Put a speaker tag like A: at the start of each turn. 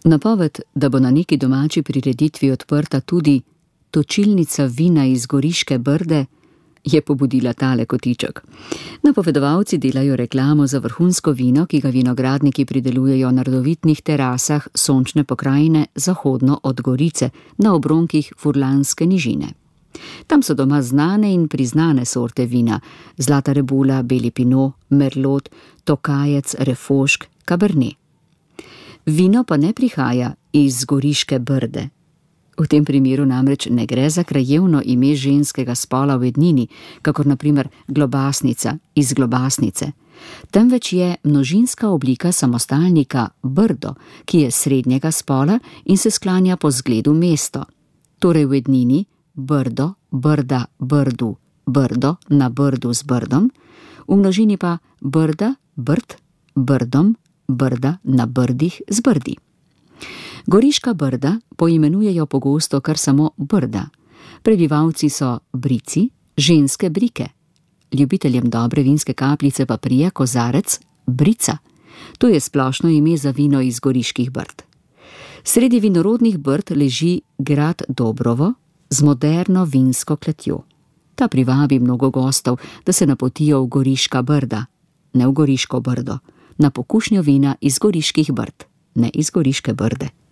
A: Napoved, da bo na neki domači prireditvi odprta tudi točilnica vina iz Goriške Brde, je pobudila tale kotiček. Napovedovalci delajo reklamo za vrhunsko vino, ki ga vinogradniki pridelujejo na rodovitnih terasah sončne pokrajine zahodno od Gorice, na obronkih Furlanske nižine. Tam so doma znane in priznane sorte vina: Zlata rebula, beli pinot, merlot, tokajec, refošk, cabernet. Vino pa ne prihaja iz Goriške Brde. V tem primeru namreč ne gre za krajevno ime ženskega spola v ednini, kakor na primer globasnica iz Globasnice, temveč je množinska oblika samostalnika Brdo, ki je srednjega spola in se sklanja po zgledu mesto. Torej v ednini Brdo, Brda, Brdu, Brdo na Brdu z Brdom, v množini pa Brda, Brd, Brdom, Brda na Brdih z Brdi. Goriška Brda poimenujejo pogosto kar samo Brda. Prebivalci so Brici, ženske Brike. Ljubiteljem dobre vinske kapljice pa prija kozarec Brica. To je splošno ime za vino iz Goriških Brd. Sredi vinorodnih Brd leži grad Dobrovo z moderno vinsko kletjo. Ta privabi mnogo gostov, da se napotijo v Goriška Brda, ne v Goriško Brdo, na pokušnjo vina iz Goriških Brd, ne iz Goriške Brde.